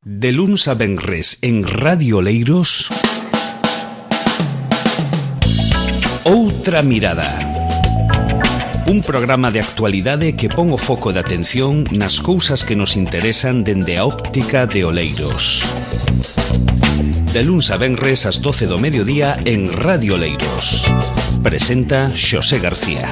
De luns a venres en Radio Oleiros, Outra Mirada. Un programa de actualidade que pon o foco de atención nas cousas que nos interesan dende a óptica de Oleiros. De luns a venres ás 12 do mediodía en Radio Oleiros. Presenta Xosé García.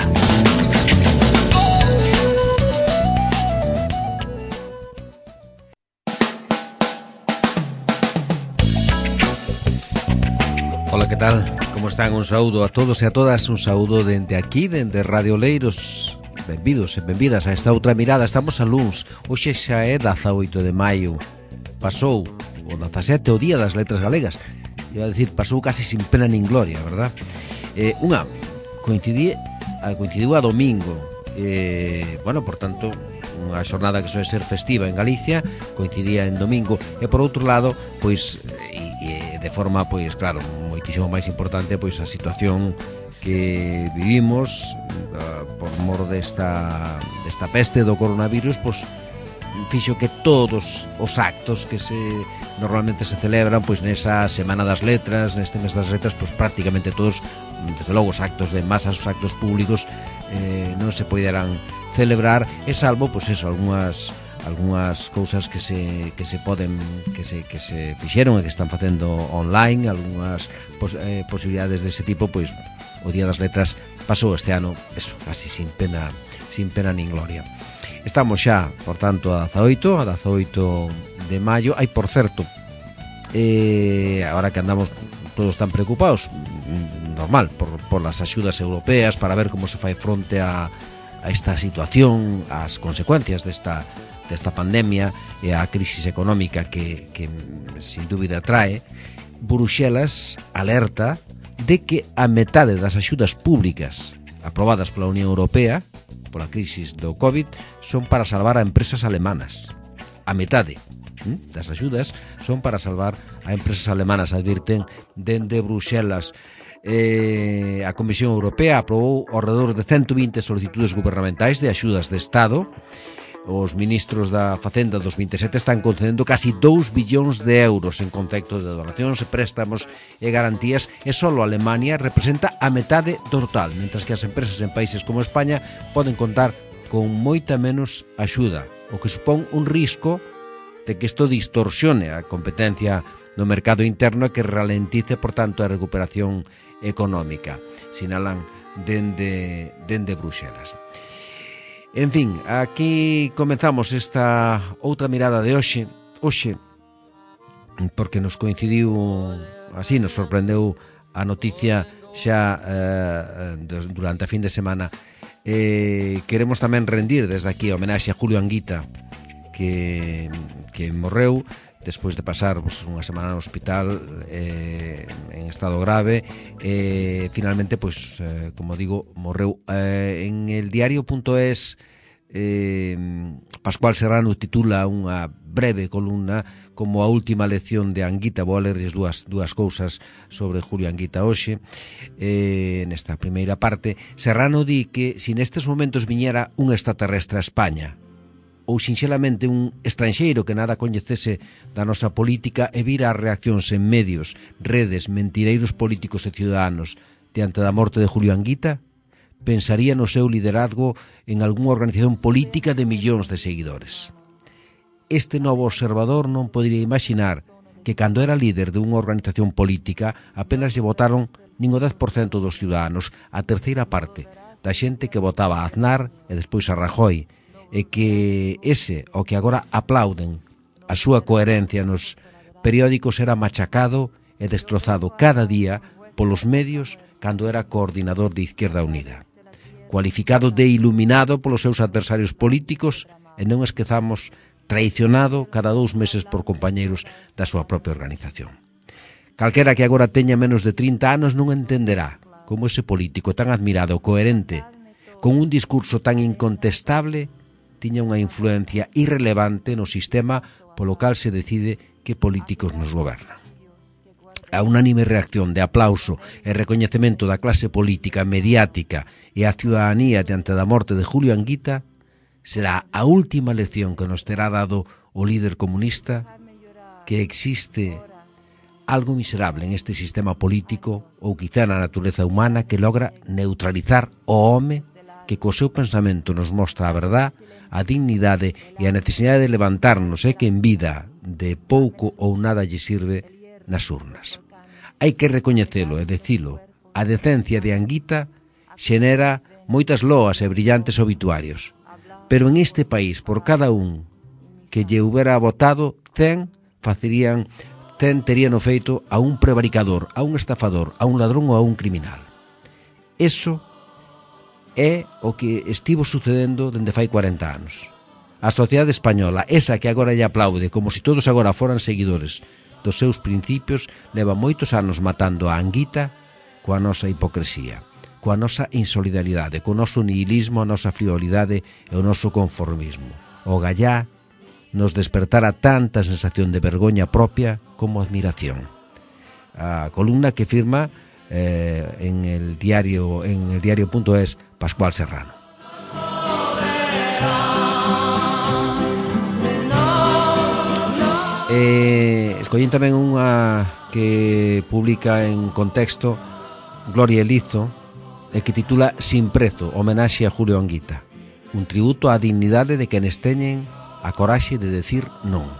Ola, que tal? Como están? Un saúdo a todos e a todas, un saúdo dende aquí, dende Radio Oleiros. Benvidos e benvidas a esta outra mirada. Estamos a luns, hoxe xa é 18 de maio. Pasou o 17, o Día das Letras Galegas. Iba a dicir, pasou casi sin pena nin gloria, verdad? Coincidiu a domingo. Bueno, por tanto, unha xornada que soe ser festiva en Galicia, coincidía en domingo. E por outro lado, pois, de forma, pois, claro, moitísimo máis importante, pois, a situación que vivimos por mor desta peste do coronavirus, pois, fixo que todos os actos que normalmente se celebran, pois, nesa Semana das Letras, neste mes das letras, pois, prácticamente todos, desde logo, os actos de masas, os actos públicos, non se poderán celebrar, e salvo, pois, eso, algunhas cousas que se fixeron e que están facendo online, algunhas posibilidades dese tipo, pois o Día das Letras pasou este ano, eso, casi sin pena nin gloria. Estamos xa, por tanto, a 18 de maio. Hai, por certo, agora que andamos todos tan preocupados, normal, por las axudas europeas, para ver como se fai fronte a esta situación, as consecuencias desta pandemia e a crisis económica que sin dúbida trae. Bruxelas alerta de que a metade das axudas públicas aprobadas pola Unión Europea pola crisis do COVID son para salvar a empresas alemanas. A metade das axudas son para salvar a empresas alemanas, advirten dende Bruxelas. A Comisión Europea aprobou ao redor de 120 solicitudes gubernamentais de axudas de Estado. Os ministros da Facenda dos 27 están concedendo casi 2 billóns de euros en contexto de donacións e préstamos e garantías, e só Alemania representa a metade do total, mentras que as empresas en países como España poden contar con moita menos axuda, o que supón un risco de que isto distorsione a competencia no mercado interno e que ralentice, por tanto, a recuperación económica, sinalan dende Bruxelas. En fin, aquí comezamos esta outra mirada de hoxe, porque nos coincidiu, así nos sorprendeu a noticia xa durante a fin de semana. Queremos tamén rendir desde aquí a homenaxe a Julio Anguita, que morreu despois de pasar unha semana no hospital en estado grave. Finalmente, pois, como digo, morreu. En el diario.es, Pascual Serrano titula unha breve columna como a última lección de Anguita. Vou a lerles dúas cousas sobre Julio Anguita hoxe. Nesta primeira parte, Serrano di que se nestes momentos viñera un extraterrestre a España, ou sinxelamente un estranxeiro que nada coñecese da nosa política e vira as reaccións en medios, redes, mentireiros políticos e ciudadanos diante da morte de Julio Anguita, pensaría no seu liderazgo en algunha organización política de millóns de seguidores. Este novo observador non podería imaginar que cando era líder de unha organización política apenas lle votaron nin o 10% dos ciudadanos, a terceira parte da xente que votaba a Aznar e despois a Rajoy, e que ese, o que agora aplauden a súa coherencia nos periódicos, era machacado e destrozado cada día polos medios cando era coordinador de Izquierda Unida, cualificado de iluminado polos seus adversarios políticos e, non esquezamos, traicionado cada 2 meses por compañeiros da súa propia organización. Calquera que agora teña menos de 30 anos non entenderá como ese político tan admirado, coherente, con un discurso tan incontestable, tiña unha influencia irrelevante no sistema polo cal se decide que políticos nos gobernan. A unánime reacción de aplauso e recoñecemento da clase política, mediática e a ciudadanía diante da morte de Julio Anguita será a última lección que nos terá dado o líder comunista que existe algo miserable en este sistema político ou quizá na natureza humana que logra neutralizar o home que co seu pensamento nos mostra a verdad, a dignidade e a necesidade de levantarnos e que en vida de pouco ou nada lle sirve nas urnas. Hai que recoñecelo e decilo, a decencia de Anguita xenera moitas loas e brillantes obituarios, pero en este país, por cada un que lle houbera votado, 100 terían feito a un prevaricador, a un estafador, a un ladrón ou a un criminal. Eso é o que estivo sucedendo dende fai 40 anos. A sociedade española, esa que agora lle aplaude como se todos agora foran seguidores dos seus principios, leva moitos anos matando a Anguita coa nosa hipocresía, coa nosa insolidaridade, co noso nihilismo, a nosa frivolidade e o noso conformismo. O gallá nos despertara tanta sensación de vergoña propia como admiración. A columna que firma en el diario.es Pascual Serrano. Escollín tamén unha que publica en Contexto Gloria Elizo e que titula Sin prezo, homenaxe a Julio Anguita, un tributo á dignidade de quenes teñen a coraxe de decir non.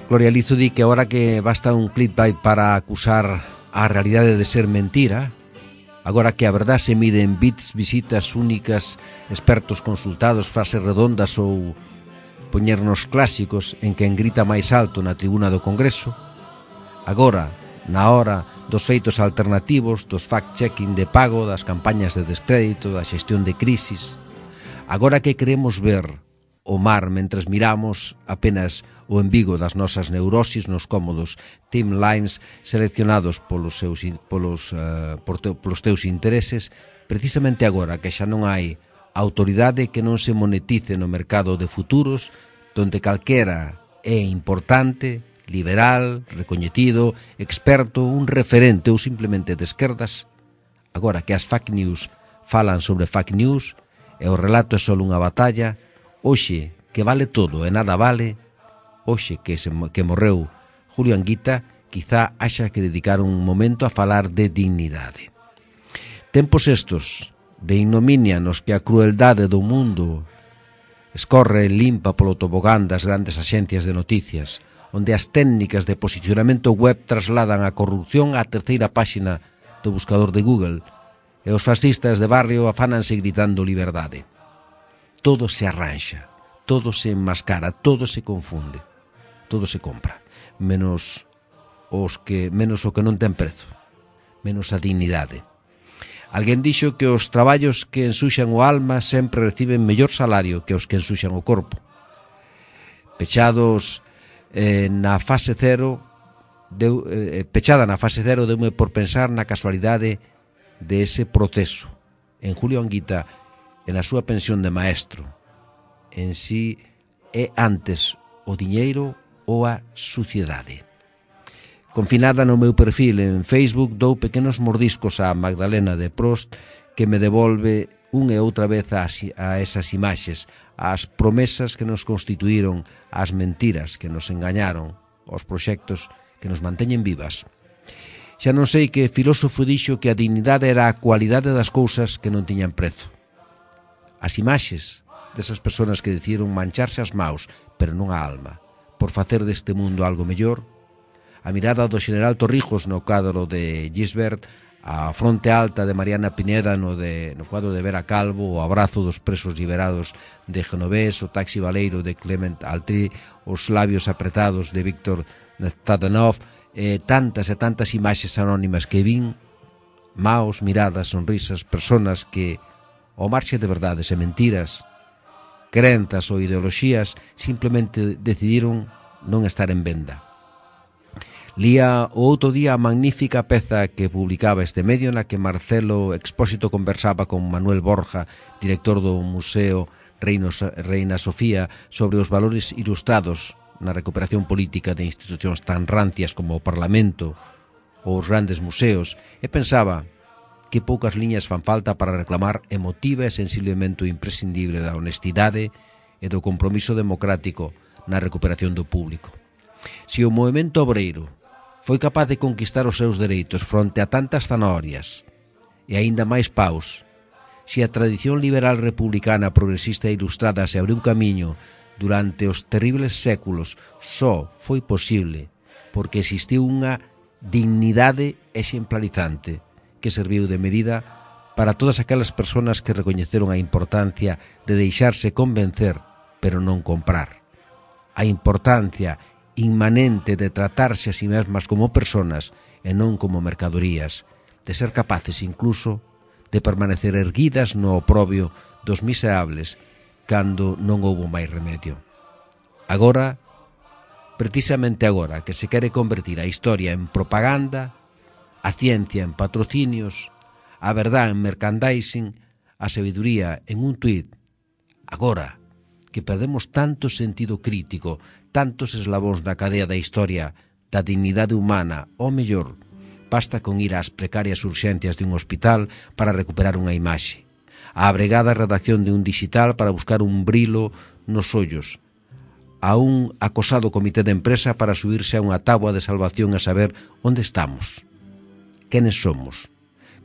Gloria Elizo di que agora que basta un clickbait para acusar a realidade de ser mentira, agora que a verdad se mide en bits, visitas únicas, expertos consultados, frases redondas ou poñernos clásicos en quen grita máis alto na tribuna do Congreso, agora, na hora dos feitos alternativos, dos fact-checking de pago, das campañas de descrédito, da xestión de crisis, agora que queremos ver o mar mentres miramos apenas o embigo das nosas neurosis nos cómodos timelines seleccionados polos teus intereses, precisamente agora que xa non hai autoridade que non se monetice no mercado de futuros, donde calquera é importante, liberal, recoñecido, experto, un referente ou simplemente de esquerdas, agora que as fake news falan sobre fake news e o relato é só unha batalla, hoxe que vale todo e nada vale, hoxe que morreu Julio Anguita, quizá haxa que dedicar un momento a falar de dignidade. Tempos estos de ignominia nos que a crueldade do mundo escorre limpa polo tobogán das grandes axencias de noticias, onde as técnicas de posicionamento web trasladan a corrupción á terceira páxina do buscador de Google, e os fascistas de barrio afánanse gritando liberdade. Todo se arranxa, todo se enmascara, todo se confunde, todo se compra, menos o que non ten prezo, menos a dignidade. Alguén dixo que os traballos que ensuxan o alma sempre reciben mellor salario que os que ensuxan o corpo. Pechada na fase cero, deume por pensar na casualidade de ese proceso. En Julio Anguita, en a súa pensión de maestro, en si é antes o diñeiro ou a suciedade. Confinada no meu perfil en Facebook, dou pequenos mordiscos a Magdalena de Prost que me devolve unha e outra vez a esas imaxes, ás promesas que nos constituíron, ás mentiras que nos engañaron, aos proxectos que nos manteñen vivas. Xa non sei que filósofo dixo que a dignidade era a cualidade das cousas que non tiñan prezo. As imaxes desas persoas que decidiron mancharse as maus, pero non a alma, por facer deste mundo algo mellor, a mirada do xeneral Torrijos no cadro de Gisbert, a fronte alta de Mariana Pineda no cuadro de Vera Calvo, o abrazo dos presos liberados de Genovés, o taxi baleiro de Clement Altri, os labios apretados de Víctor Zadanov, tantas e tantas imaxes anónimas que vin, maos, miradas, sonrisas, personas que, ao marxe de verdades e mentiras, crenzas ou ideoloxías, simplemente decidiron non estar en venda. Lía o outro día a magnífica peza que publicaba este medio na que Marcelo Expósito conversaba con Manuel Borja, director do Museo Reina Sofía, sobre os valores ilustrados na recuperación política de institucións tan rancias como o Parlamento ou os grandes museos, e pensaba que poucas liñas fan falta para reclamar emotiva e sensiblemente o imprescindible da honestidade e do compromiso democrático na recuperación do público. Se o movemento obreiro foi capaz de conquistar os seus dereitos fronte a tantas zanahorias e aínda máis paus, se a tradición liberal republicana progresista e ilustrada se abriu camiño durante os terribles séculos, só foi posible porque existiu unha dignidade exemplarizante que serviu de medida para todas aquelas persoas que recoñeceron a importancia de deixarse convencer, pero non comprar. A importancia inmanente de tratarse a si mesmas como persoas e non como mercadorías, de ser capaces incluso de permanecer erguidas no oprobio dos miserables cando non houbo máis remedio. Agora, precisamente agora, que se quere convertir a historia en propaganda, a ciencia en patrocinios, a verdade en merchandising, a sabiduría en un tuit, agora que perdemos tanto sentido crítico, tantos eslabóns da cadea da historia, da dignidade humana, ou mellor, basta con ir ás precarias urxencias de un hospital para recuperar unha imaxe, a abregada redacción de un digital para buscar un brilo nos ollos, a un acosado comité de empresa para subirse a unha táboa de salvación a saber onde estamos, quenes somos,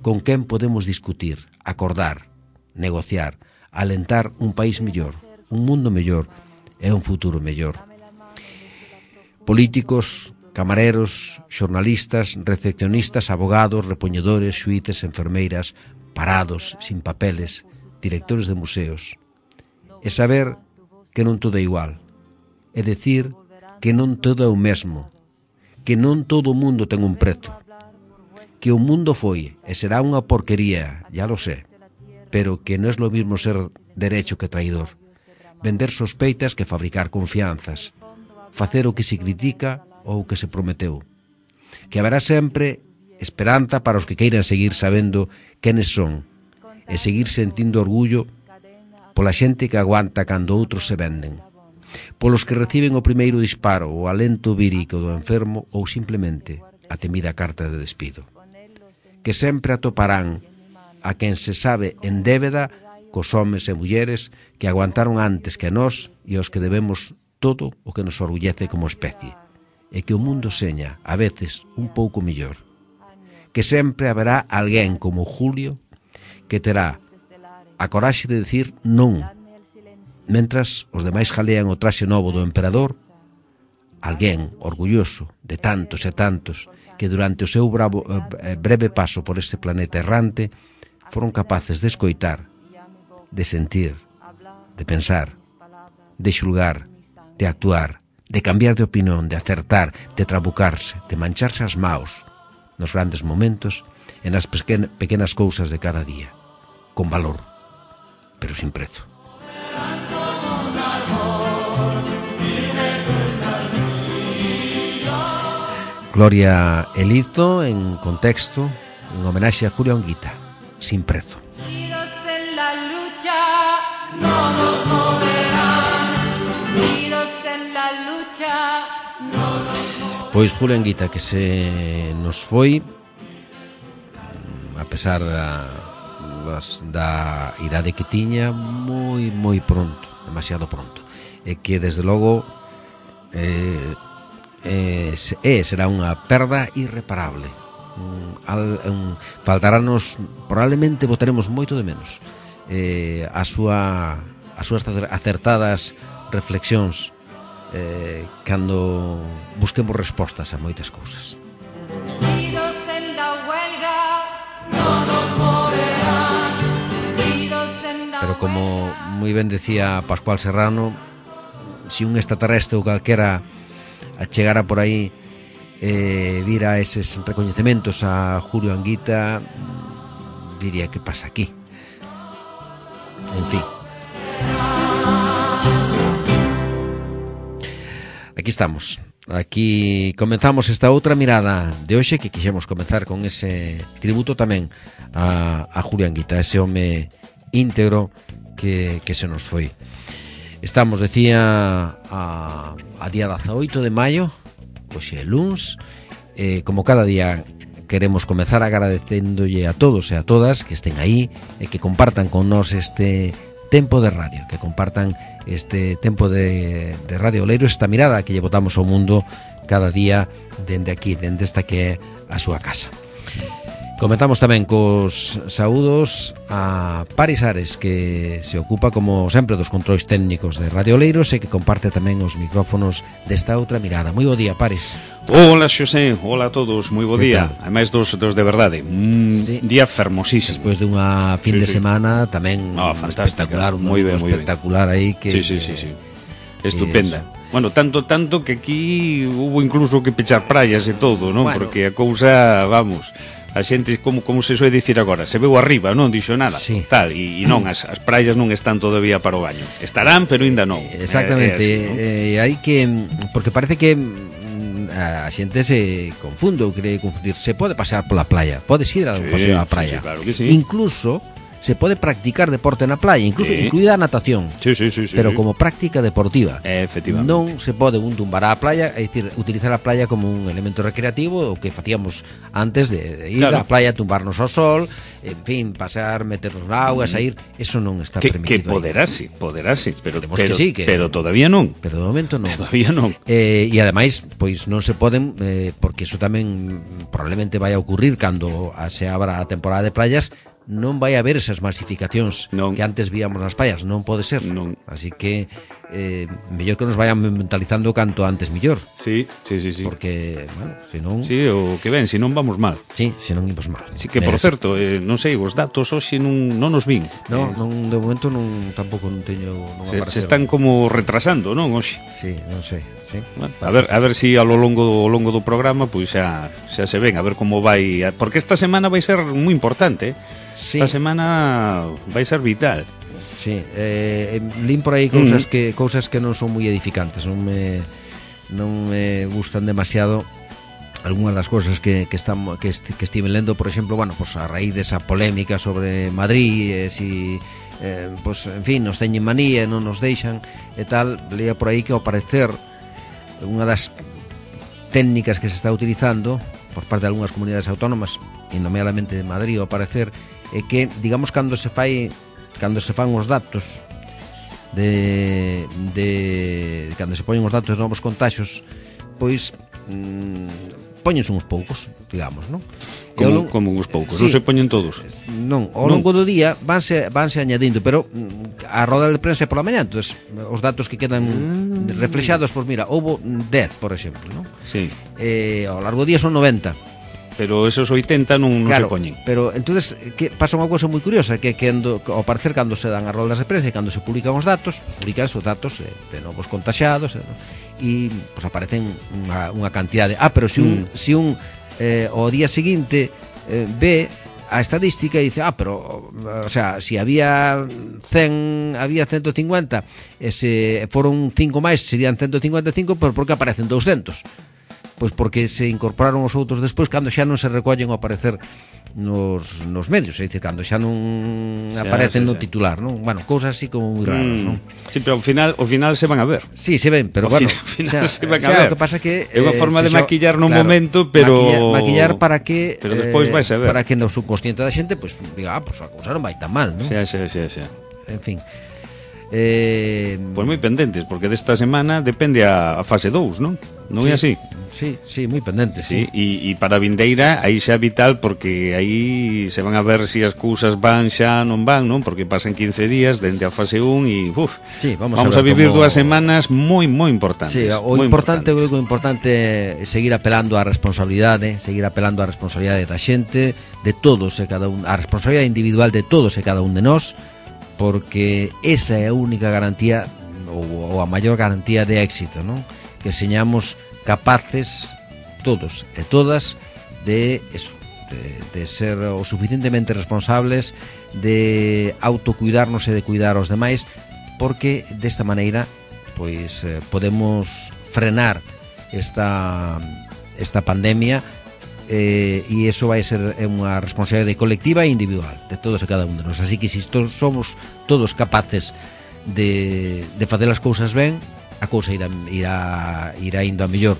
con quen podemos discutir, acordar, negociar, alentar un país mellor, un mundo mellor e un futuro mellor. Políticos, camareros, xornalistas, recepcionistas, abogados, repoñedores, xuíces, enfermeiras, parados, sin papeles, directores de museos. E saber que non todo é igual. É dicir que non todo é o mesmo. Que non todo o mundo ten un prezo. Que o mundo foi e será unha porquería, ya lo sé. Pero que non é lo mismo ser derecho que traidor. Vender sospeitas que fabricar confianzas. Facer o que se critica ou o que se prometeu. Que haberá sempre esperanza para os que queiran seguir sabendo quenes son e seguir sentindo orgullo pola xente que aguanta cando outros se venden. Polos que reciben o primeiro disparo, o alento vírico do enfermo ou simplemente a temida carta de despido. Que sempre atoparán a quen se sabe en débeda cos homes e mulleres que aguantaron antes que nós e aos que debemos todo o que nos orgullece como especie, e que o mundo seña, a veces, un pouco mellor. Que sempre haberá alguén como Julio que terá a coraxe de decir non, mentras os demais jalean o traxe novo do emperador, alguén orgulloso de tantos e tantos que durante o seu breve paso por este planeta errante foron capaces de escoitar, de sentir, de pensar, de xulgar, de actuar, de cambiar de opinión, de acertar, de trabucarse, de mancharse as maos nos grandes momentos e nas pequenas cousas de cada día, con valor, pero sin prezo. Gloria Elito en contexto, en homenaxe a Julio Anguita, sin prezo. Pois Julio Anguita, que se nos foi, a pesar da idade que tiña, moi pronto, demasiado pronto, e que desde logo será unha perda irreparable. Faltarános, probablemente votaremos moito de menos as súas acertadas reflexións cando busquemos respostas a moitas cousas. Pero como moi ben decía Pascual Serrano, se un extraterrestre ou calquera chegara por aí vira eses recoñecementos a Julio Anguita, diría que pasa aquí. En fin, aquí estamos. Aquí comenzamos esta outra mirada de hoxe, que quixemos comenzar con ese tributo tamén a Julio Anguita, ese home íntegro que se nos foi. Estamos, decía, a día 18 de maio, hoxe é luns, como cada día queremos comezar agradecéndolle a todos e a todas que estén aí e que compartan con nós este tempo de radio, que compartan este tempo de Radio Oleiros, esta mirada que lle botamos ao mundo cada día dende aquí, dende esta que é a súa casa. Comentamos tamén cos saúdos a Paris Ares, que se ocupa, como sempre, dos controis técnicos de Radio Oleiros e que comparte tamén os micrófonos desta outra mirada. Moi bo día, Paris. Hola, Xosé, hola a todos, moi bo día. Ademais dos de verdade, sí. Día fermosísimo. Despois de unha fin de semana tamén espectacular, moi ben, espectacular aí que sí. Estupenda. Bueno, tanto que aquí hubo incluso que pechar praias e todo, non? Bueno, porque a cousa, vamos, a xente, como se soe dicir agora, se veu arriba, non dixo nada, sí. Tal, e non, as praias non están todavía para o baño. Estarán, pero ainda non. Exactamente, así, ¿no? Hai que, porque parece que a xente se confunde ou cree confundir. Se pode pasear pola playa, podes ir a un paseo á praia, claro que sí. Incluso se pode practicar deporte na playa, incluso incluída a natación. Sí. Pero como práctica deportiva. Efectivamente. Non se pode un tumbar á playa, é dicir, utilizar a playa como un elemento recreativo, o que facíamos antes de ir á playa, tumbarnos ao sol, en fin, pasear, meternos na auga, sair, eso non está permitido. Que poderase, pero sí, pero todavía non. Pero de momento non. Todavía non. E ademais, pois non se poden, porque iso tamén probablemente vai a ocurrir cando se abra a temporada de playas, non vai haber esas masificacións que antes víamos nas playas, non pode ser. Non. Así que mellor que nos vayan mentalizando canto antes mellor. Sí. Porque, bueno, senón... Sí, o que ven, senón vamos mal. Sí, senón imos mal. Sí, que por certo, non sei, os datos hoxe non nos vin. Non, de momento non, tampouco non teño... Non se están como retrasando, non, hoxe? Sí, non sei. Sí. Bueno, a ver si ao longo do programa pois xa se ven, a ver como vai, porque esta semana vai ser moi importante, Sí. Esta semana vai ser vital. Sí, lín por aí cousas que non son moi edificantes, non me gustan demasiado algunhas das cousas que estive lendo, por exemplo, bueno, pues a raíz desa polémica sobre Madrid, si pues en fin, nos teñen manía, non nos deixan e tal, leía por aí que ao parecer unha das técnicas que se está utilizando por parte de algunhas comunidades autónomas, e nomeadamente de Madrid, ao parecer, é que, digamos, cando se fan os datos cando se poñen os datos de novos contaxios, pois póñense uns poucos, digamos, non? Como uns poucos, sí, non se poñen todos. Non, ao longo do día vanse añadindo, pero a roda de prensa é pola mañá, entonces os datos que quedan reflexados, pois mira, houbo 10, por exemplo, non? Sí. Ao largo do día son 90. Pero esos 80 non claro, se poñen. Pero entonces que pasa unha cousa moi curiosa, que ao parecer cando se dan as roldas de prensa e cando se publican os datos de novos contaxiados, e pues aparecen unha cantidade. Pero se un ao día seguinte ve a estadística e dice, pero o sea, si había 100, había 150 e se foron 5 máis serían 155, pero por que aparecen 200? Pois porque se incorporaron os outros despois cando xa non se recollen ao aparecer nos medios, é dicir, cando xa non aparecen no titular, non? Bueno, cousas así como moi raras, non? Sí, pero ao final se van a ver. Sí, se ven, pero ao final se van a ver. O que pasa que é unha forma de maquillar no momento, pero maquillar para que pero despois vai saber. Para que no subconsciente da xente pois diga, pois a cousa non vai tan mal, non? Sí. En fin. Pois moi pendentes, porque desta semana depende a fase 2, non? Non é así? Sí, moi pendentes, sí. E para a vindeira aí xa é vital, porque aí se van a ver se as cousas van xa non van, non? Porque pasan 15 días dende a fase 1 e vamos a vivir 2 semanas moi importantes. Sí, o importante é seguir apelando á responsabilidade, da xente, de todos e cada un, a responsabilidade individual de todos e cada un de nós, porque esa é a única garantía ou a maior garantía de éxito, non? Que señamos capaces todos e todas de eso, de ser o suficientemente responsables, de autocuidarnos e de cuidar aos demais, porque desta maneira pois podemos frenar esta pandemia, e iso vai ser unha responsabilidade colectiva e individual de todos e cada un de nós. Así que se somos todos capaces de facer as cousas ben, a cousa irá indo a mellor.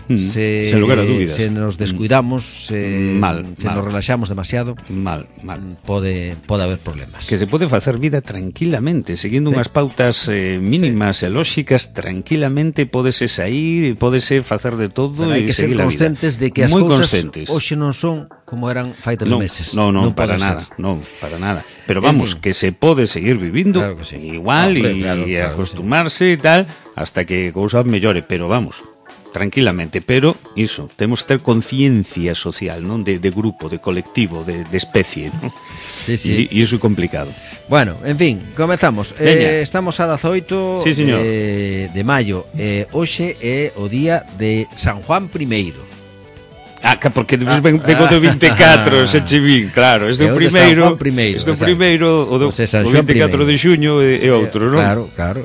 Sen lugar a dúbidas. Se nos descuidamos, se nos relaxamos demasiado, mal. Pode haber problemas. Que se pode facer vida tranquilamente, seguindo unhas pautas mínimas e lóxicas, tranquilamente pódese sair, pódese facer de todo e seguir a vida. Hai que ser conscientes de que as cousas hoxe non son como eran fai 3 meses. Non, para nada, non, para nada. Pero vamos, que se pode seguir vivindo igual e acostumarse e tal, hasta que cousas mellore, pero vamos, tranquilamente, pero iso, temos que ter conciencia social, non, de grupo, de colectivo, de especie, non? Sí. E iso é complicado. Bueno, en fin, comezamos. Estamos a 18 de maio. Hoxe é o día de San Juan I. Porque despois ven o do 24, se che vin, claro, este é o primeiro, o do 24 de xuño é outro, non? Claro.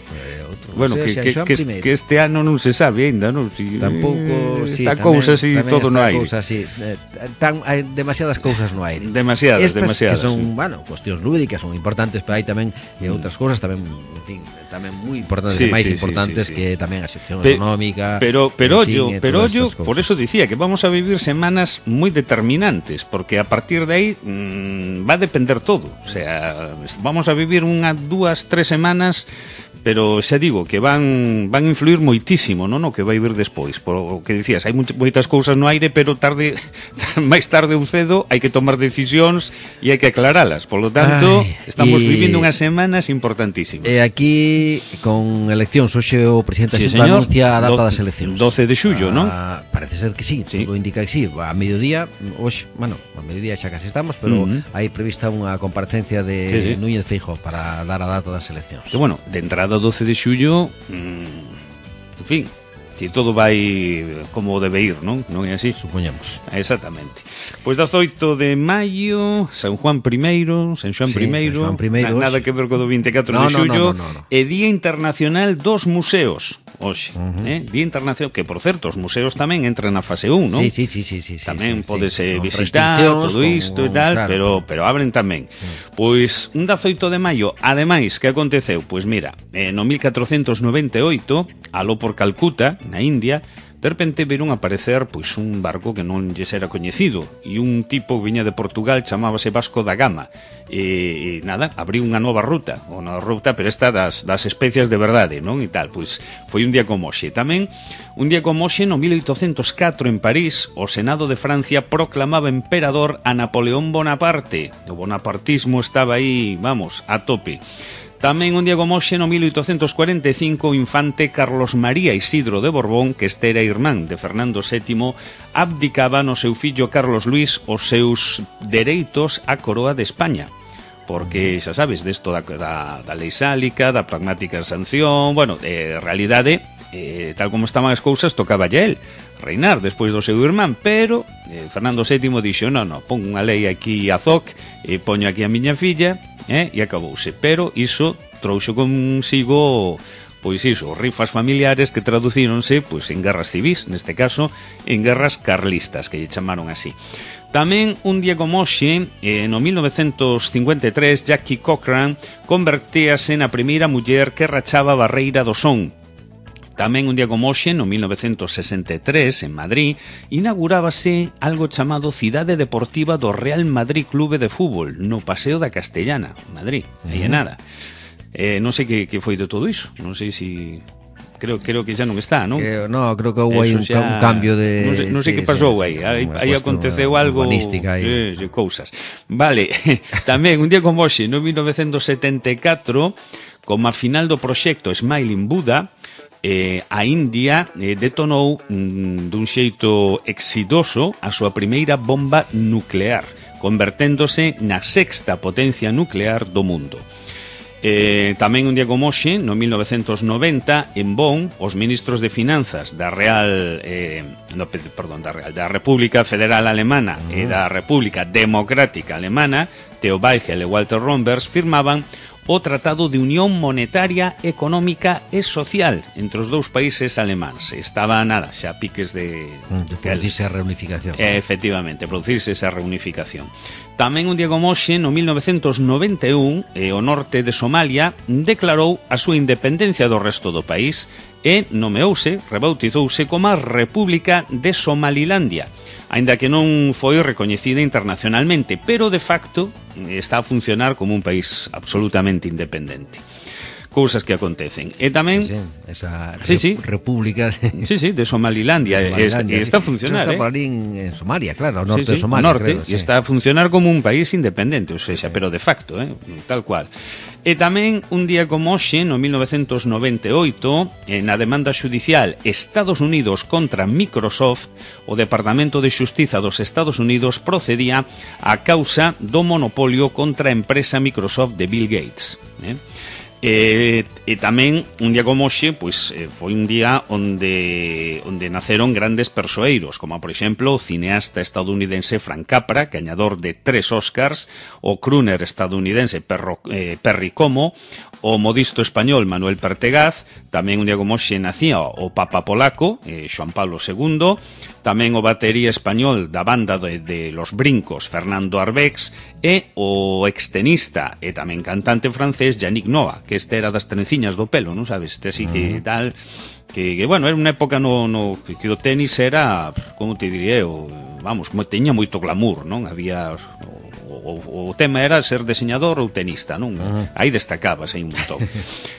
Bueno, que este ano non se sabe ainda, non? Tampouco, si, está cousa así todo no aire. Hai demasiadas cousas no aire. Demasiadas. Que son, cuestións lúdicas, son importantes, pero hai tamén outras cousas tamén, en fin, tamén moi importantes, máis importantes que tamén a sección económica. Pero ollo, por eso dicía que vamos a vivir semanas moi determinantes, porque a partir de aí va a depender todo. O sea, vamos a vivir 1, 2, 3 semanas, pero xa digo que van influir moitísimo, non, no que vai vir despois. Por o que dicías, hai moitas cousas no aire, pero máis tarde ou cedo hai que tomar decisións e hai que aclaralas. Por lo tanto, estamos vivindo unhas semanas importantísimas. E aquí, con eleccións, hoxe o presidente da Xunta anuncia a data das eleccións. 12 de xullo, non? Parece ser que sí, todo indica que sí. A mediodía, hoxe, a mediodía xa casi estamos, pero hai prevista unha comparecencia de Núñez Feijóo para dar a data das eleccións. Que bueno, de entrada 12 de xullo, en fin, si todo vai como debe ir, non? Non é así? Supoñamos. Exactamente. Pois 18 de maio, San Juan I, nada que ver co do 24 de xullo, é Día Internacional dos Museos. Hoxe, Día Internacional, que por certo, os museos tamén entran na fase 1, non? Sí. Tamén podese visitar todo isto e tal, pero abren tamén. Pois un 18 de maio, ademais, que aconteceu? Pois mira, no 1498, aló por Calcuta, na India, de repente viron aparecer pois un barco que non lles era coñecido, e un tipo que viña de Portugal chamábase Vasco da Gama, e nada, abriu unha nova ruta, pero esta das especias de verdade, non? E tal, pois foi un día como hoxe. Tamén un día como hoxe, no 1804 en París, o Senado de Francia proclamaba emperador a Napoleón Bonaparte. O bonapartismo estaba aí, vamos, a tope. Tamén un día como hoxe, no 1845, o infante Carlos María Isidro de Borbón, que este era irmán de Fernando VII, abdicaba no seu fillo Carlos Luis os seus dereitos á coroa de España. Porque, xa sabes, desto da lei sálica, da pragmática sanción, bueno, de realidade, tal como estaban as cousas, tocaba a él reinar despois do seu irmán, pero Fernando VII dixo, non, pon unha lei aquí a zoc, e poño aquí a miña filla, e acabouse. Pero iso trouxo consigo, pois iso, rifas familiares que traducíronse pois en guerras civís, neste caso en guerras carlistas, que lle chamaron así. Tamén un día como hoxe, no 1953, Jackie Cochran convertíase na primeira muller que rachaba a barreira do son. Tamén un día como hoxe, no 1963, en Madrid, inaugurábase algo chamado Cidade Deportiva do Real Madrid Clube de Fútbol, no Paseo da Castellana, Madrid, aí é nada. Non sei que foi de todo iso, non sei se... Creo que xa non está, non? Creo que houve aí un cambio de... Non sei que pasou aí, aí aconteceu algo... Cousas. Vale, tamén un día como hoxe, no 1974, como a final do proxecto Smiling Buddha, a India detonou dun xeito exitoso a súa primeira bomba nuclear, converténdose na sexta potencia nuclear do mundo. Tamén un día como hoxe, no 1990, en Bonn, os ministros de Finanzas da República Federal Alemana e da República Democrática Alemana, Theo Weigel e Walter Rombers, firmaban o Tratado de Unión Monetaria, Económica e Social entre os dous países alemáns. Estaba nada, xa piques de producirse a reunificación. Efectivamente, producirse esa reunificación. Tamén un día como hoxe, no 1991, o norte de Somalia declarou a súa independencia do resto do país e rebautizouse como a República de Somalilandia, aínda que non foi recoñecida internacionalmente, pero de facto está a funcionar como un país absolutamente independente. Cousas que acontecen. E tamén esa república de Somalilandia, está a funcionar, está por ali en Somalia, claro, ao norte de Somalia, e está a funcionar como un país independente, ou seja, pero de facto, tal cual. E tamén un día como hoxe, no 1998, na demanda xudicial Estados Unidos contra Microsoft, o Departamento de Xustiza dos Estados Unidos procedía á causa do monopolio contra a empresa Microsoft de Bill Gates. E tamén un día como hoxe, pois foi un día onde naceron grandes persoeiros, como por exemplo o cineasta estadounidense Frank Capra, gañador de 3 Oscars, o crooner estadounidense Perry Como, o modisto español Manuel Pertegaz. Tamén un día como hoxe nacía o Papa polaco, Xoan Pablo II, tamén o batería español da banda de Los Brincos, Fernando Arbex, e o extenista e tamén cantante francés Yannick Noah, que este era das trenciñas do pelo, non sabes? Este así que tal, que bueno, era unha época que o tenis era, como te diría eu, vamos, teña moito glamour, non? Había o tema era ser deseñador ou tenista, non? Aí destacabas, aí un montón.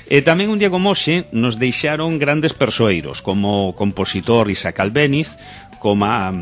E tamén un día como hoxe nos deixaron grandes persoeiros, como o compositor Isaac Albéniz, como a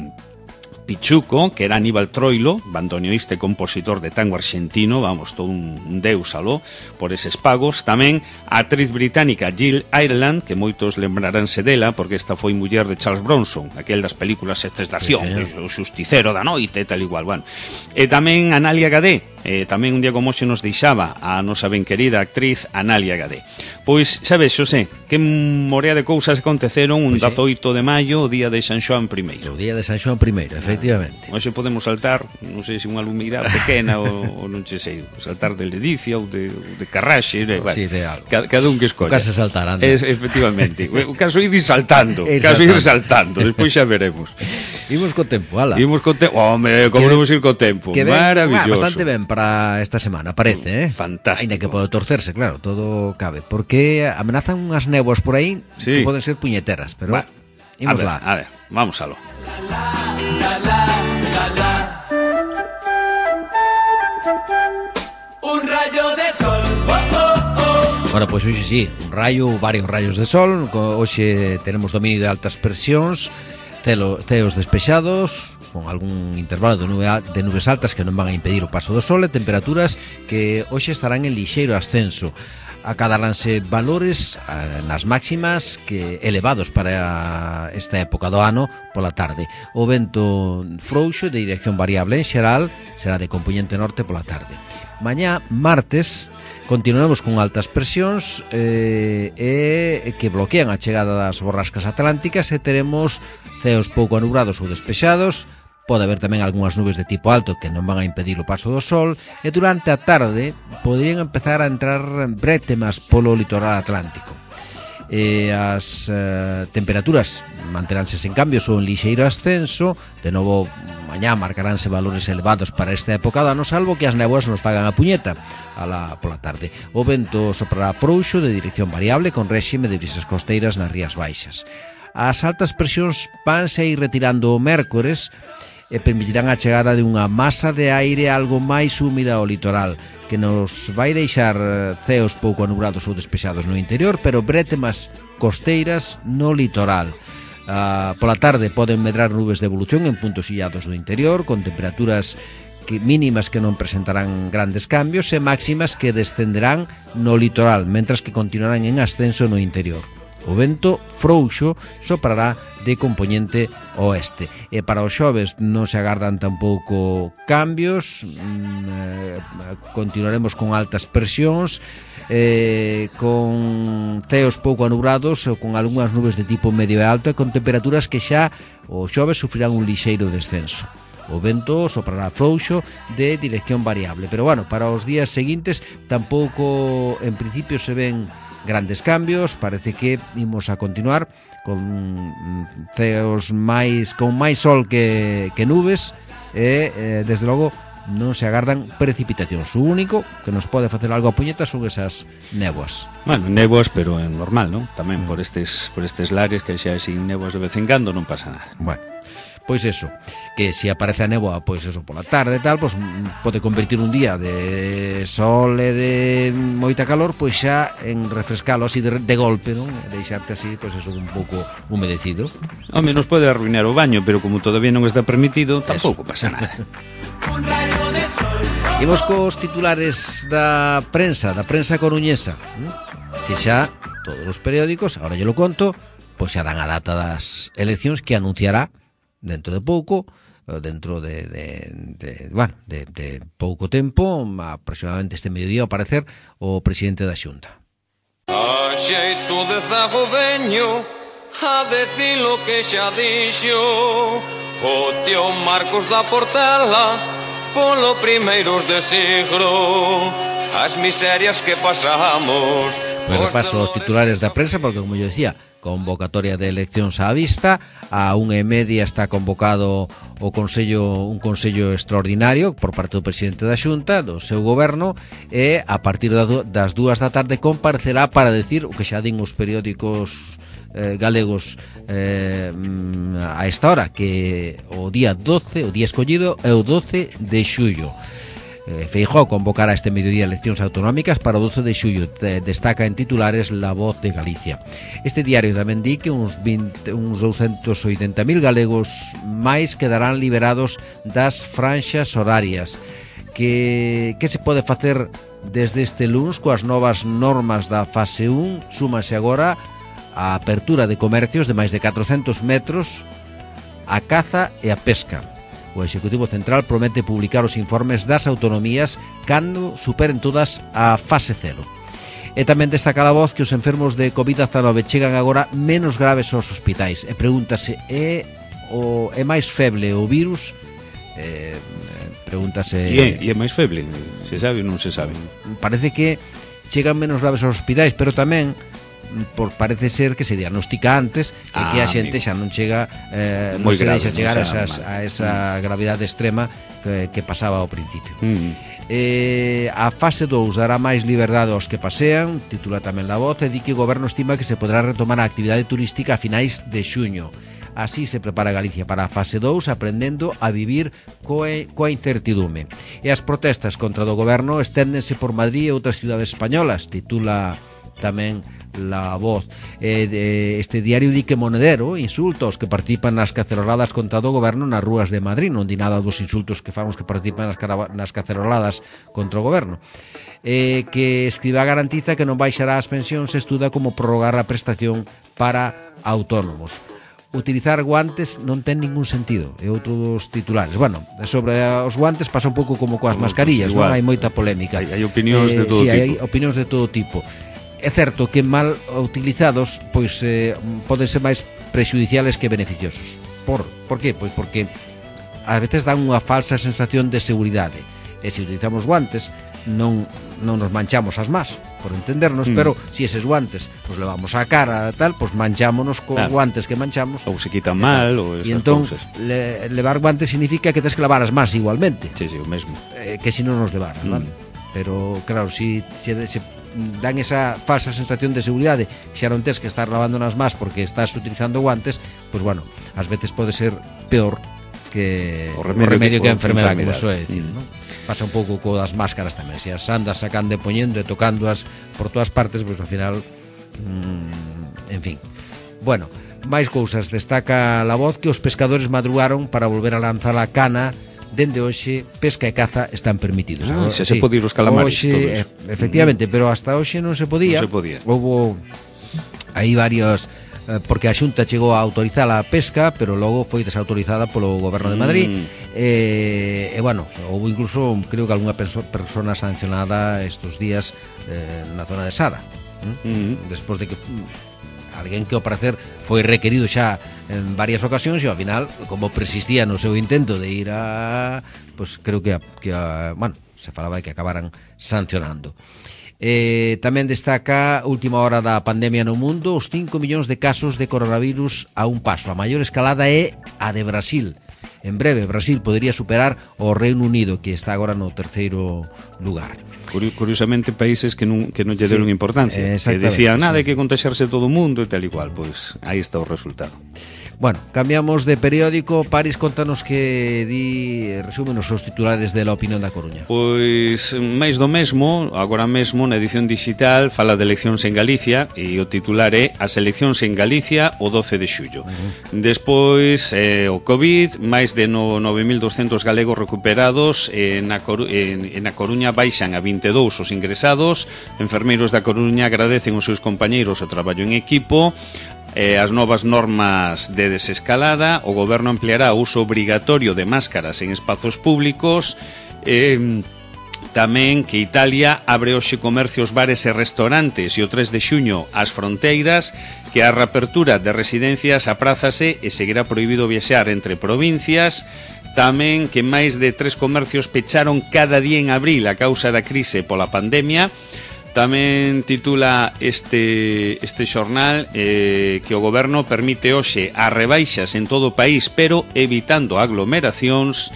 Pichuco, que era Aníbal Troilo, bandoneoista e compositor de tango argentino, vamos, todo un deus aló por eses pagos. Tamén a actriz británica Jill Ireland, que moitos lembraránse dela, porque esta foi muller de Charles Bronson, aquel das películas estes de acción, o Justicero da Noite e tal igual, bueno. E tamén Analia Gadé, tamén un día como hoxe nos deixaba a nosa ben querida actriz Analia Gadé. Pois, sabes, Xosé, que morea de cousas aconteceron un 18 de maio, o día de San Xoán I. O día de San Xoán I, efectivamente. Hoxe podemos saltar, non sei se unha lumeira pequena ou non sei, saltar de Ledicia ou de Carraxe, sí, de algo. Cada un que escolla. O caso saltar, anda. Efectivamente. O caso ir saltando, despois xa veremos. Imos co tempo, ala. Home, como non ir co tempo. Maravilloso. Bastante ben para esta semana, parece, Fantástico. Ainda que pode torcerse, claro, todo cabe, porque amenazan unhas néboas por aí que poden ser puñeteras, pero imos lá. A ver, vamos aló. Un rayo de sol. Bueno, pois hoxe sí, un rayo, varios rayos de sol. Hoxe tenemos dominio de altas presións, ceos despexados, con algún intervalo de nubes altas que non van a impedir o paso do sol, e temperaturas que hoxe estarán en lixeiro ascenso. Acadaránse valores nas máximas que elevados para esta época do ano pola tarde. O vento frouxo de dirección variable en xeral será de compoñente norte pola tarde. Mañá, martes, continuaremos con altas presións que bloquean a chegada das borrascas atlánticas e teremos ceos pouco anubrados ou despexados. Pode haber tamén algunhas nubes de tipo alto que non van a impedir o paso do sol, e durante a tarde poderían empezar a entrar brétemas polo litoral atlántico. As temperaturas manteránse sen cambios ou en lixeiro ascenso. De novo, mañá marcaránse valores elevados para esta época do ano, salvo que as néboas nos fagan a puñeta pola tarde. O vento soprará frouxo de dirección variable con réxime de brisas costeiras nas rías baixas. As altas presións vanse ir retirando o mércores e permitirán a chegada de unha masa de aire algo máis húmida ao litoral, que nos vai deixar ceos pouco anubrados ou despexados no interior, pero brétemas costeiras no litoral. Pola tarde poden medrar nubes de evolución en puntos illados do interior, con temperaturas mínimas que non presentarán grandes cambios e máximas que descenderán no litoral, mentras que continuarán en ascenso no interior. O vento frouxo soprará de compoñente oeste. E para os xoves non se agardan tampouco cambios. Continuaremos con altas presións, con ceos pouco anubrados ou con algunhas nubes de tipo medio e alto, e con temperaturas que xa o xoves sufrirán un lixeiro descenso. o vento soprará frouxo de dirección variable. Pero bueno, para os días seguintes tampouco en principio se ven grandes cambios. Parece que imos a continuar con ceos con máis sol que nubes e desde logo non se agardan precipitacións. O único que nos pode facer algo a puñeta son esas néboas. Bueno, néboas, pero é normal, non? Tamén por estes lares que xa sin néboas de vez en cando non pasa nada. Bueno, pois eso, que se aparece a néboa, pois eso, pola tarde e tal, pois pode convertir un día de sol e de moita calor, pois xa en refrescalo así de golpe, non? Deixarte así, pois eso, un pouco humedecido. Home, nos pode arruinar o baño, pero como todavía non está permitido, tampouco pasa nada. Imos cos titulares da prensa coruñesa, que xa todos os periódicos, ahora yo lo conto, pois xa dan a data das eleccións que anunciará dentro de pouco, dentro de pouco tempo, aproximadamente este mediodía, ao parecer, o presidente da Xunta. A xeito de zagodeño, a decir lo que xa dixo o tío Marcos da Portela polo primeiros de siglo, as miserias que pasamos. Me repaso os titulares da prensa porque, como yo decía, convocatoria de eleccións á vista. A 1:30 está convocado un consello extraordinario por parte do presidente da Xunta, do seu goberno, e a partir das 2 da tarde comparecerá para decir o que xa din os periódicos galegos a esta hora, que o día escollido é o 12 de xullo. Feijóo convocará este mediodía eleccións autonómicas para o 12 de xullo, destaca en titulares La Voz de Galicia. Este diario tamén di que uns 280.000 galegos máis quedarán liberados das franxas horarias. Que se pode facer desde este luns coas novas normas da fase 1? Súmase agora a apertura de comercios de máis de 400 metros, a caza e a pesca. O Executivo Central promete publicar os informes das autonomías cando superen todas a fase 0. E tamén destaca a Voz que os enfermos de COVID-19 chegan agora menos graves aos hospitais. E pregúntase, é máis feble o virus? Pregúntase... E é máis feble? Se sabe ou non se sabe? Parece que chegan menos graves aos hospitais, pero tamén parece ser que se diagnostica antes e que a xente xa non chega non se deixa chegar a esa gravidade extrema que pasaba ao principio. A fase 2 dará máis liberdade aos que pasean, titula tamén La Voz, e di que o goberno estima que se poderá retomar a actividade turística a finais de xuño. Así se prepara Galicia para a fase 2, aprendendo a vivir coa incertidume. E as protestas contra o goberno esténdense por Madrid e outras cidades españolas, titula tamén La Voz. Este diario di que Monedero insulta os que participan nas caceroladas contra o goberno nas rúas de Madrid. Non di nada dos insultos que fan os que participan nas caceroladas contra o goberno. Que Escrivá garantiza que non baixará as pensións e estuda como prorrogar a prestación para autónomos. Utilizar guantes non ten ningún sentido, é outro dos titulares. Bueno, sobre os guantes pasa un pouco como coas mascarillas, non? Hai moita polémica. Hai opinións de todo tipo. Hai opinións de todo tipo. É certo que mal utilizados pois poden ser máis prexudiciales que beneficiosos. Por qué? Pois porque a veces dan unha falsa sensación de seguridade. E se utilizamos guantes non nos manchamos as más, por entendernos, pero se eses guantes os levamos á cara tal, pois manchámonos con guantes que manchamos, ou se quitan mal ou esas cousas. Levar guantes significa que tens que lavar as más igualmente. Sí, o mesmo. Que se non nos levaran, vale? Pero claro, se dan esa falsa sensación de seguridade, xa non tens que estar lavando nas más porque estás utilizando guantes, pois bueno, ás veces pode ser peor que o remedio que a enfermedade, como soe decir, non? Pasa un pouco co das máscaras tamén, se as andas sacando e poñendo e tocándoas por todas partes, pois ao final en fin. Bueno, máis cousas. Destaca La Voz que os pescadores madrugaron para volver a lanzar a cana. Dende hoxe, pesca e caza están permitidos. Xa se pode ir os calamares. Hoxe, efectivamente, pero hasta hoxe non se podía. Houbo aí varios... porque a Xunta chegou a autorizar a pesca, pero logo foi desautorizada polo Goberno de Madrid. E bueno, houve incluso, creo que algunha persona sancionada estos días na zona de Sara. Despois de que alguén que ao parecer foi requerido xa en varias ocasións e ao final, como persistía no seu intento de ir a, pues creo que bueno, se falaba de que acabaran sancionando. Tamén destaca última hora da pandemia no mundo, os 5 millóns de casos de coronavirus a un paso. A maior escalada é a de Brasil. En breve, Brasil podería superar o Reino Unido, que está agora no terceiro lugar. Curiosamente, países que non lle deron importancia, que decían nada, hai que contaxarse todo o mundo e tal igual, pois aí está o resultado. Bueno, cambiamos de periódico. Paris, contanos que resúmenos os titulares de La Opinión da Coruña. Pois máis do mesmo, agora mesmo na edición digital fala de eleccións en Galicia e o titular é As eleccións en Galicia o 12 de xullo. Despois o COVID, máis de 9.200 galegos recuperados, na Coruña baixan a 22 os ingresados. Enfermeiros da Coruña agradecen aos seus compañeiros o traballo en equipo. As novas normas de desescalada, o goberno ampliará o uso obrigatorio de máscaras en espazos públicos, tamén que Italia abre hoxe comercios, bares e restaurantes e o 3 de xuño as fronteiras, que a reapertura de residencias aprázase e seguirá prohibido viaxar entre provincias. Tamén que máis de 3 comercios pecharon cada día en abril a causa da crise pola pandemia. Tamén titula este xornal que o goberno permite hoxe as rebaixas en todo o país, pero evitando aglomeracións.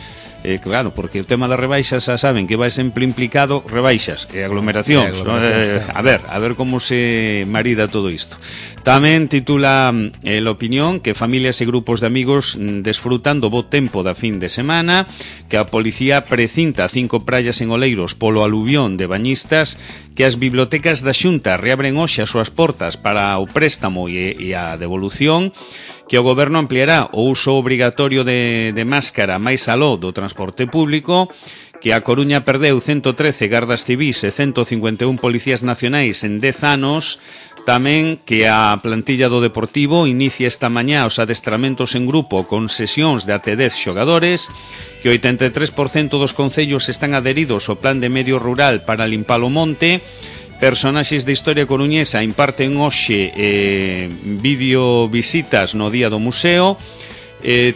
Claro, porque o tema das rebaixas xa saben que vai sempre implicado rebaixas e aglomeracións, a ver como se marida todo isto. Tamén titula La Opinión que familias e grupos de amigos desfrutan do bo tempo da fin de semana, que a policía precinta 5 praias en Oleiros polo aluvión de bañistas, que as bibliotecas da Xunta reabren hoxe as súas portas para o préstamo e a devolución, que o goberno ampliará o uso obrigatorio de máscara máis aló do transporte público, que a Coruña perdeu 113 gardas civís e 151 policías nacionais en 10 anos. Tamén que a plantilla do Deportivo inicia esta mañá os adestramentos en grupo con sesións de até 10 xogadores, que o 83% dos concellos están adheridos ao plan de medio rural para limpar o monte. Personaxes de historia coruñesa imparten hoxe vídeo visitas no día do museo.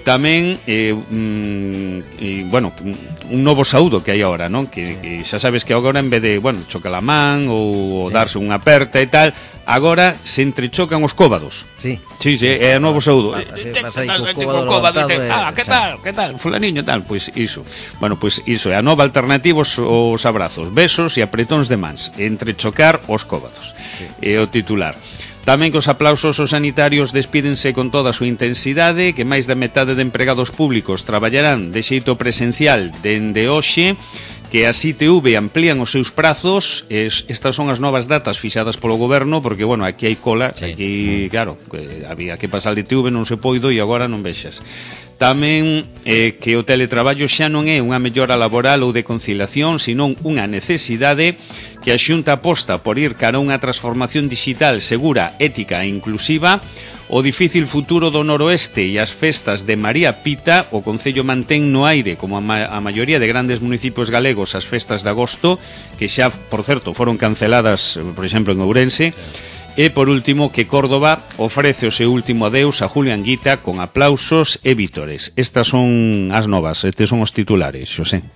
Tamén bueno, un novo saúdo que hai agora, non? Que xa sabes que agora en vez de, bueno, chocar a man ou darse unha aperta e tal, agora se entrechocan os cóbados. Sí, é o novo saúdo. Que tal, fulaniño tal, pois iso. Bueno, pois iso é a nova alternativa aos abrazos, besos e apretóns de mans, entrechocar os cóbados. É o titular. Tamén que os aplausos aos sanitarios despídense con toda a súa intensidade, que máis da metade de empregados públicos traballarán de xeito presencial dende hoxe, que a ITV amplían os seus prazos. Estas son as novas datas fixadas polo goberno, porque, bueno, aquí hai cola, aquí, claro, había que pasar de ITV, non se poido e agora non vexas. Tamén que o teletraballo xa non é unha mellora laboral ou de conciliación, senón unha necesidade, que a Xunta aposta por ir cara a unha transformación digital segura, ética e inclusiva. O difícil futuro do noroeste e as festas de María Pita, o Concello mantén no aire, como a maioría de grandes municipios galegos, as festas de agosto, que xa, por certo, foron canceladas, por exemplo, en Ourense. E, por último, que Córdoba ofrece o seu último adeus a Julio Anguita con aplausos e vítores. Estas son as novas, estes son os titulares, Xosé.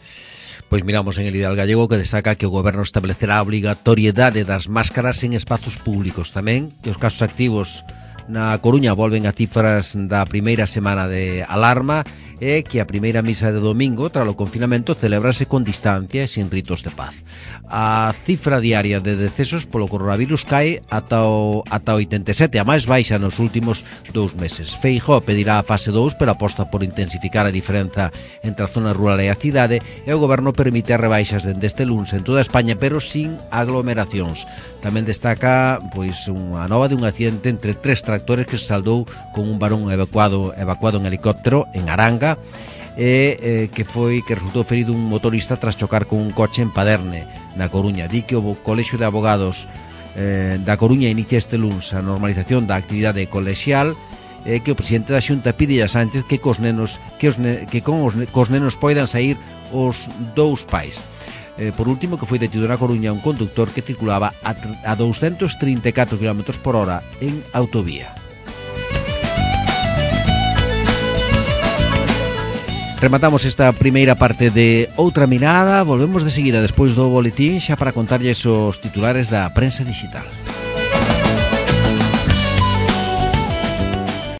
Pois miramos en el Ideal Gallego, que destaca que o goberno establecerá a obrigatoriedade das máscaras en espazos públicos. Tamén que os casos activos na Coruña volven a cifras da primeira semana de alarma, e que a primeira misa de domingo tras o confinamento celebrase con distancia e sin ritos de paz. A cifra diaria de decesos polo coronavirus cae ata o 87, a máis baixa nos últimos 2 meses. Feijóo pedirá a fase 2, pero aposta por intensificar a diferenza entre a zona rural e a cidade, e o goberno permite as rebaixas dende este luns en toda España, pero sin aglomeracións. Tamén destaca pois unha nova de un accidente entre 3 tractores que se saldou con un varón evacuado en helicóptero en Aranga, que resultou ferido un motorista tras chocar con un coche en Paderne, na Coruña. Di que o Colexio de Abogados da Coruña inicia este luns a normalización da actividade colexial, que o presidente da Xunta pide a Sánchez que cos nenos poidan sair os 2 pais. Por último, que foi detido na Coruña un conductor que circulaba a 234 km/h en autovía. Rematamos esta primeira parte de Outra Mirada. Volvemos de seguida despois do boletín xa para contarlles os titulares da prensa digital.